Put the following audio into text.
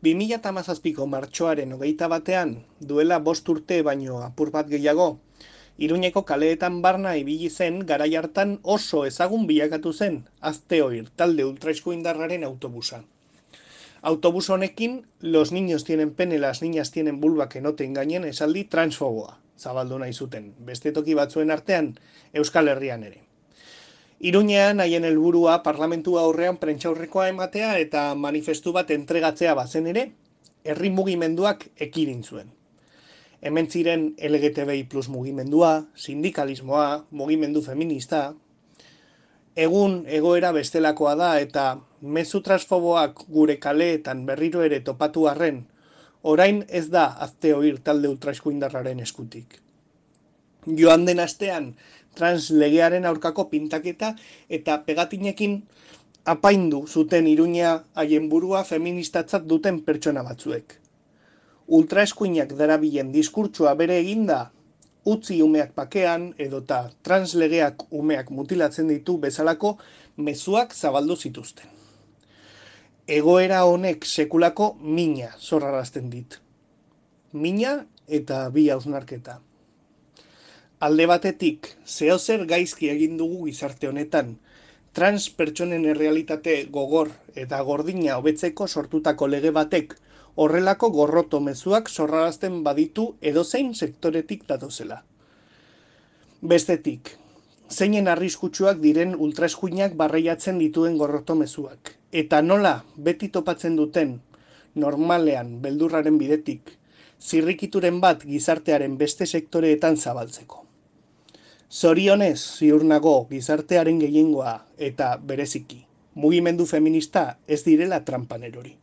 2017ko martxoaren 21ean, duela 5 urte baino apur bat gehiago, Iruñeko kaleetan barna ibili zen garai hartan oso ezagun bilakatu zen Azteoir talde ultraeskuindarraren autobusa. Autobus honekin, los niños tienen pene, las niñas tienen vulva que no te engañen esaldi transfoboa zabaldu nahi zuten, beste toki batzuen artean Euskal Herrian ere. Iruñean haien helburua parlamentua aurrean prentsaurrekoa ematea eta manifestu bat entregatzea bazen ere, herri mugimenduak ekidin zuen. Hemen ziren LGTBI plus mugimendua, sindikalismoa, mugimendu feminista. Egun egoera bestelakoa da eta mezu transfoboak gure kaleetan berriro ere topatu arren, orain ez da Azteoir talde ultraeskuindarraren eskutik. Joan den astean trans legearen aurkako pintaketa eta pegatinekin apaindu zuten Iruña haien burua feministatzat duten pertsona batzuek. Ultraeskuinak darabilen diskurtsoa bere eginda, utzi umeak bakean edota translegeak umeak mutilatzen ditu bezalako mezuak zabaldu zituzten. Egoera honek sekulako mina zorrarazten dit. Mina eta bi hausnarketa. Alde batetik, zeozer gaizki egin dugu gizarte honetan, trans pertsonen errealitate gogor eta gordina hobetzeko sortutako lege batek horrelako gorroto mezuak zorrarazten baditu edozein sektoretik datozela. Bestetik, zeinen arriskutsuak diren ultraeskuinak barreiatzen dituen gorroto mezuak, eta nola beti topatzen duten, normalean beldurraren bidetik, zirrikituren bat gizartearen beste sektoreetan zabaltzeko. Zorionez ziur nago gizartearen gehiengoa eta bereziki, mugimendu feminista ez direla tranpan erori.